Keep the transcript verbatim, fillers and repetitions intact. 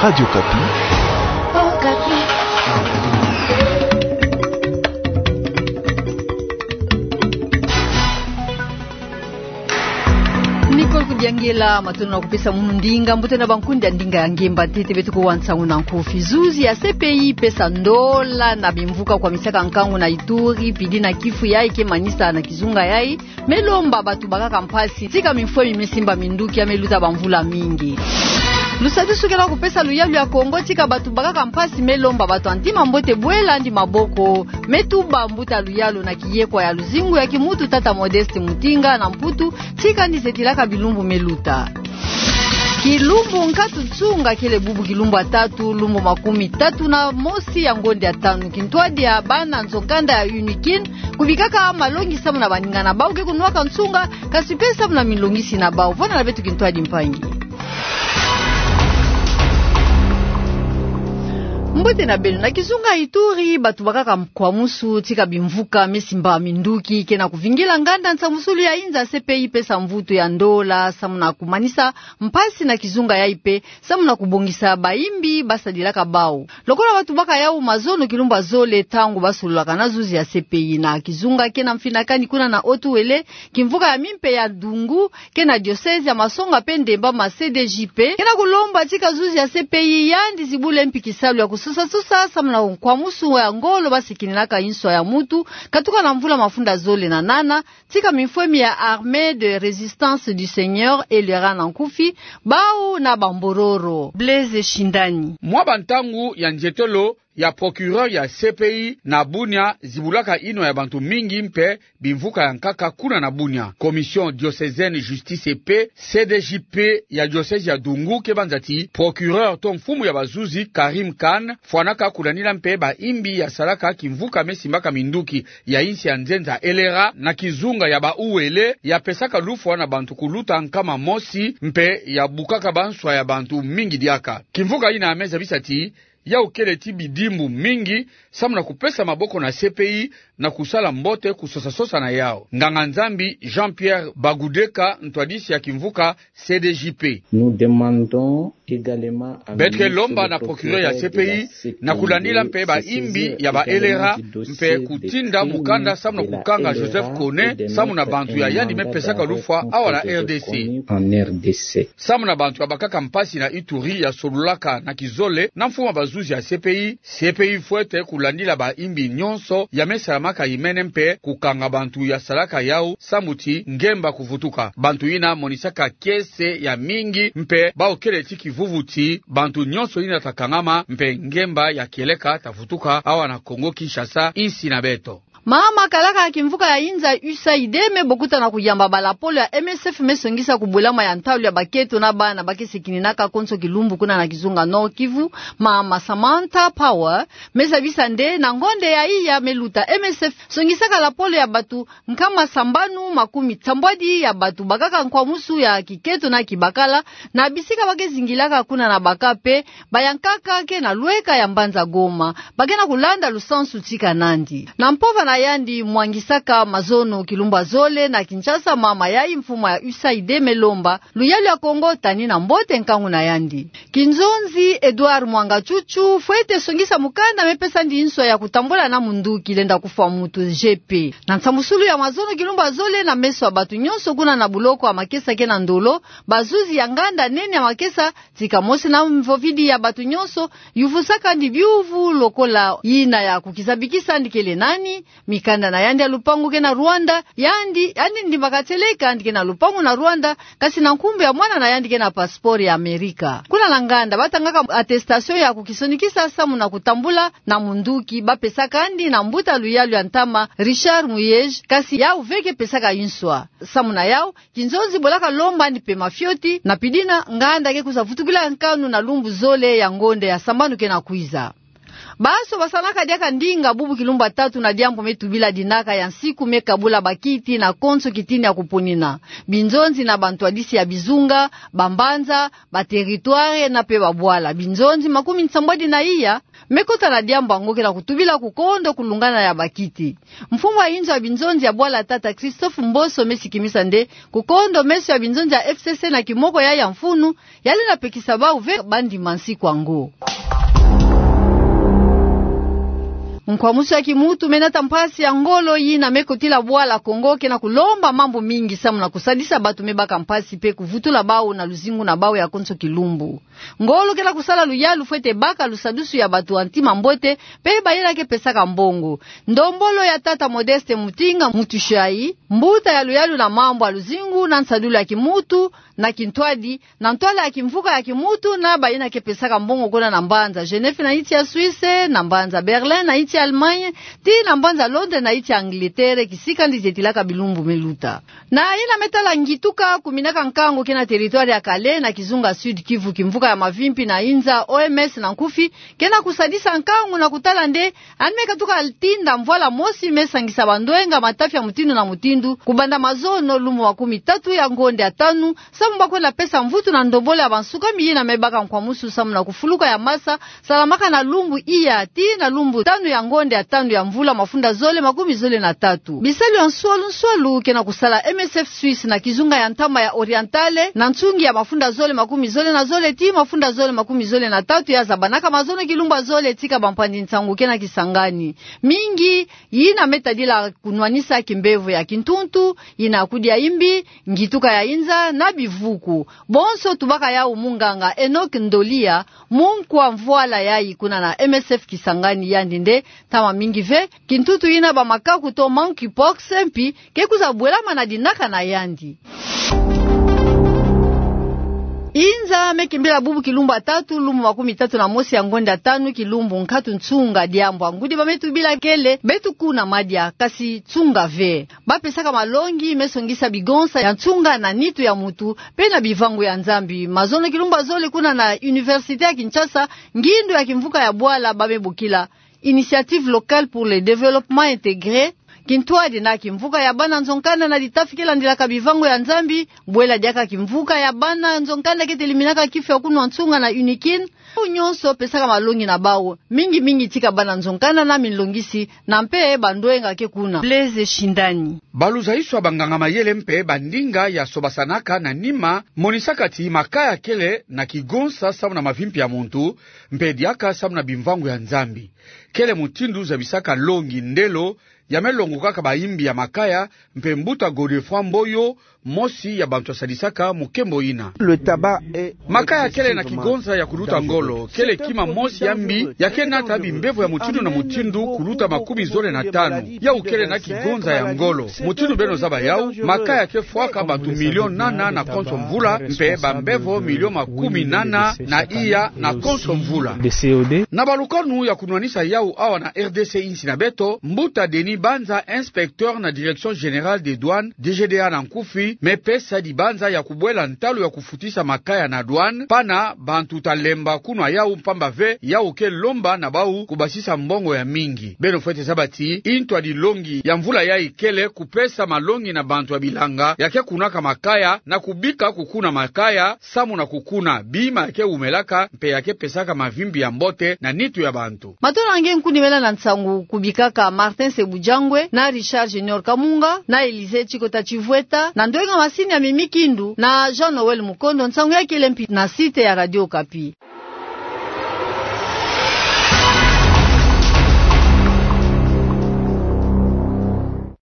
Radio Okapi. Nicole Kudiangela, matondo na kupesa munu ndinga, mbuta na bankundi ya ndinga ya ngemba ntete. Beto kuwa nsangu na nkufi. Zuzi ya C P I pesa ndola na bimvuka kwamisaka nkangu na Ituri, pidi na kifu yayi ke manisa na kizunga yayi, me lomba bato bakaka mpasi, tika mifwemi me simba minduki ya me luta bamvula mingi. Lusadusu ke na kupesa luyalu ya Kongo tika bato bakaka mpasi, me lomba bato ya ntima mbote bwela yandi maboko, me tuba mbuta luyalu na kiyekwa ya luzingu ya kimutu tata Modeste Mutinga na Mputu, tika yandi zetilaka bilumbu me luta. Kilumbu nkatu nsunga kele bubu kilumbu ya tatu, lumbu makumi tatu na mosi ya ngonde ya tanu, kintwadi ya bana nzo-kanda ya UNIKIN kubikaka malongi samu na baninga na bau ke kunwaka nsunga, kasi pe samu na milongisi na bau. Vwanda na beto kintwadi mpangi. Mbote na beno. Na kizunga Ituri, bato bakaka nkwamusu tika bimvuka me simba minduki ke na kuvingila nganda nsambusulu ya inza C P I pesa mvutu ya ndola samu na kumanisa mpasi na kizunga yayi pe samu na kubongisa bayimbi basadilaka bau. Lokola bato baka yau mazono kilumbu ya zole ntangu basololaka na zuzi ya C P I na kizunga ke na mfinakani kuna na Haut-Uele, kimvuka ya mimpe ya Dungu, ke na diocèse ya Masonga pe Ndemba, ma C D J P ke na kulomba tika zuzi ya C P I yandi zibula mpi kisalu ya kusosa-sosa samu na nkwamusu ya ngolo basikininaka inswa ya mutu katuka na mvula mafunda zole na nana, tika mifwemi ya Armée de Résistance du Seigneur, ELRA na nkufi, bau na bambororo. Blaise Shindani. Mwa bantangu ya nzietolo ya procureur ya C P I na Bunia zibulaka inwa ya bantu mingi mpe bimvuka ya nkaka kuna na Bunia. Commission diocésaine Justice et Paix, C D J P, ya diocèse ya Dungu ke banza ti procureur to mfumu ya bazuzi Karim Khan fwanaka kulandila mpe bayimbi ya salaka kimvuka me simbaka minduki ya insi ya nzenza ELRA na kizunga ya ba Uele, ya pesaka lufwa na bantu kuluta nkama mosi mpe ya bukaka banswa ya bantu mingi diaka. Kimvuka yina me zabisa ti yau kele ti bidimbu mingi samu na kupesa maboko na C P I na kusala mbote kusosa-sosa na yau. Nganga-Nzambi Jean-Pierre Bagudeka, ntwadisi ya kimvuka C D J P. Nous demandons également à... Beto ke lomba na procureur ya C P I na kulandila mpe bayimbi ya ba ELRA mpe kutinda mukanda samu na kukanga Joseph Kone samu na bantu ya yandi me pesaka lufwa awa na R D C. Samu na bantu ya bakaka mpasi na Ituri ya solulaka na kizole na mfumu ya bazuzi ya C P I, C P I fwete kulandila bayimbi nyonso ya me salamaka imene mpe kukanga bantu ya salaka yau samu ti ngemba kuvutuka. Bantu yina monisaka kiese ya mingi mpe bau kele ti kivuvu ti bantu nyonso yina ta kangama mpe ngemba ya kieleka ta vutuka awa na Congo Kinshasa, insi na beto. Mama kalaka ya kimvuka ya inza U S A I D me bokuta na kuyamba balapolo ya M S F me songisa kubwelama ya ntalu ya baketo na bana ba ke sikininaka konso kilumbu kuna na kizunga Nord-Kivu, mama Samantha Power, me zabisa nde na ngonde ya iya me luta M S F songisaka lapolo ya bato nkama sambanu makumi sambwadi ya bato bakaka nkwamusu ya kiketo na kibakala na bisika ba ke zingilaka kuna na baka mpe bayankaka ke na lweka ya mbanza Goma, ba ke na kulanda lusansu tika nandi. Na mpova na yandi mwangisaka mazono kilumbu ya zole na Kinshasa, mama yayi mfumu ya U S A I D me lomba luyalu ya Kongo tani na mbote nkangu na yandi. Kinzonzi Edouard Mwanga Chuchu fwete songisa mukanda me pesa ndi nswa ya kutambula na munduki lenda kufwa mutu, G P. Na nsambusulu ya mazono kilumbu ya zole na meso ya bato nyonso kuna na buloko ya makesa ke na ndolo, bazuzi ya nganda nene ya makesa, tika mosi na mvovidi ya bato nyonso, yuvusaka ndi biuvu lokola yina ya kukizabikisa ndi kele nani, mikanda na yandi ya lupangu ke na Rwanda, yandi, yandi ndimbaka tieleka ndi ke na lupangu na Rwanda, kasi na nkumbu ya mwana na yandi ke na passeport ya Amerika. Kuna na nganda, ba tangaka attestation ya kukisonikisa samu na kutambula na munduki, ba pesaka ndi na mbuta luyalu ya ntama, Richard Muyej, kasi yau ve ke pesaka nswa. Samu na yau, Kinzonzi bolaka lomba ndi pema fioti, na pidina nganda ke kwiza vutukila nkanu na lumbu zole ya ngonde ya sambanu ke na kwiza. Basobasanaka diaka ndinga bubu kilumbu ya tatu na diambu me tubila dinaka ya nsiku me kabula bakiti na konso kitini ya kuponina, binzonzi na bantwadisi ya bizunga, bambanza, bateritware na pe babwala. Binzonzi makumi nsambwadi na iya me kota na diambu yango ke na kutubila kukondo kulungana ya bakiti. Mfumu ya inzo ya binzonzi ya bwala, tata Christophe Mboso, me sikimisa nde kukondo meso ya binzonzi ya F C C na kimoko yayi ya mfunu, yali na pekisa bau ve bandima nsiku yango. Nkwamusu ya kimutu me nata mpasi ya ngolo yina me kotila bwala Kongo ke na kulomba mambu mingi samu na kusadisa bato me baka mpasi pe kuvutula bau na luzingu na bau ya konso kilumbu. Ngolo ke na kusala luyalu fwete baka lusadusu ya bato ya ntima mbote pe bayina ke pesaka mbongo. Ndombolo ya tata Modeste Mutinga Mutushayi, mbuta ya luyalu na mambu ya luzingu na nsadulu ya kimutu na kintwadi, na ntwala ya kimvuka ya kimutu na bayina ke pesaka mbongo kuna na mbanza Genève na insi ya Suisse, na mbanza Berlin na insi ya Allemagne, ti na mbanza Londres na insi ya Angleterre, kisika nde zetilaka bilumbu me luta. Na yina me tala ngituka kuminaka nkangu ke na territoire ya Kale na kizunga Sud-Kivu, kimvuka ya mavimpi na inza, O M S na nkufi, ke na kusadisa nkangu na kutala nde yandi me katuka tinda mvwala mosi me sangisa bandwenga, matafi ya mutindu na mutindu, kubanda mazono lumbu makumi tatu ya ngonde ya tanu, samu ba kwenda pesa mvutu na ndombolo ya bansukami yina me baka nkwamusu samu na kufuluka ya masa salamaka na lumbu iya ti na lumbu tanu ya ngonde ya tanu ya mvula mafunda zole makumi zole na tatu. Bisalu ya nswalu nswalu ke na kusala M S F Suisse na kizunga ya ntama ya Orientale, na nsungi ya mafunda zole makumi zole na zole ti mafunda zole makumi zole na tatu ya zabanaka mazono kilumbu ya zole, tika bampanzi nsangu ke na Kisangani mingi yina me tadila kunwanisa kimbevo ya kintuntu, yina kudia imbi, ngituka ya inza na bivuku. Bonso tubaka yau munganga Enoch Ndolia, munkwa mvwala yayi kuna na M S F Kisangani, yandi nde ntama mingi ve kintuntu yina ba makaku to monkeypox mpi ke kwiza bwelama na dinaka na yandi. Inza me kimbila bubu kilumbu ya tatu, lumbu makumi tatu na mosi ya ngonde ya tanu, kilumbu nkatu nsunga, diambu ya ngudi ba me tubila kele beto kuna madia, kasi nsunga ve. Ba pesaka malongi me songisa bigonsa ya nsunga na nitu ya mutu pe na bivangu ya Nzambi. Mazono kilumbu ya zole kuna na Université ya Kinshasa, ngindu ya kimvuka ya bwala ba me bokila Initiative locale pour le développement intégré, kintwadi na kimvuka ya bana nzo-nkanda na ditafi ke landilaka bivangu ya Nzambi, bwela diaka kimvuka ya bana nzo-nkanda ke teliminaka kifu ya kunwa nsunga na UNIKIN, bau nyonso pesaka malongi na bau, mingi mingi tika bana nzo-nkanda na minlongisi, na mpe bandwenga ke kuna. Blaise Shindani. Baluzaiso ya banganga-mayele mpe bandinga ya sobasanaka na nima monisaka ti makaya kele na kigonsa samu na mavimpi ya muntu, mpe diaka samu na bimvangu ya Nzambi. Kele mutindu zabisaka longi ndelo ya me longokaka baimbi ya makaya, mpe mbuta Godefroid Mboyo, mosi ya bantu ya sadisaka mukembo ina. Makaya kele na kigonza ya kuluta ngolo, kele kima mosi ya mbi ya ke nata bimbevo ya mutindu na mutindu kuluta makumi zole na tanu. Yau kele na kigonza ya ngolo. Mutindu beno zaba yau, makaya ke fwaka bantu milion nana na konso mvula, mpe bambevo milion makumi nana na iya na konso mvula. Na balukanu ya kunwanisa yau awa na R D C, insi na beto, mbuta Denis Banza, inspecteur na Direction Générale des Douanes, D G D A na nkufi, me pesa dibanza ya kubwela ntalu ya kufutisa makaya na douane, pana bantu ta lemba kunwa yau, mpamba ve yau ke lomba na bau kubasisa mbongo ya mingi. Beno fwete zaba ti ntwadilongi ya mvula yayi kele kupesa malongi na bantu ya bilanga ya ke kunaka makaya, na kubika kukuna makaya, samu na kukuna bima ya ke wumelaka, mpe ya ke pesaka mavimpi ya mbote na nitu ya bantu. Matondo na nge, nkundi mena na nsangu kubikaka Martin Sebujangwe, na Richard Junior Kamunga, na Elysée Tshikota Tshivweta, na ndwenga masini ya Mimi Kindu, na Jean Noël Mukondo. Nsangu ya kele mpi na site ya Radio Okapi.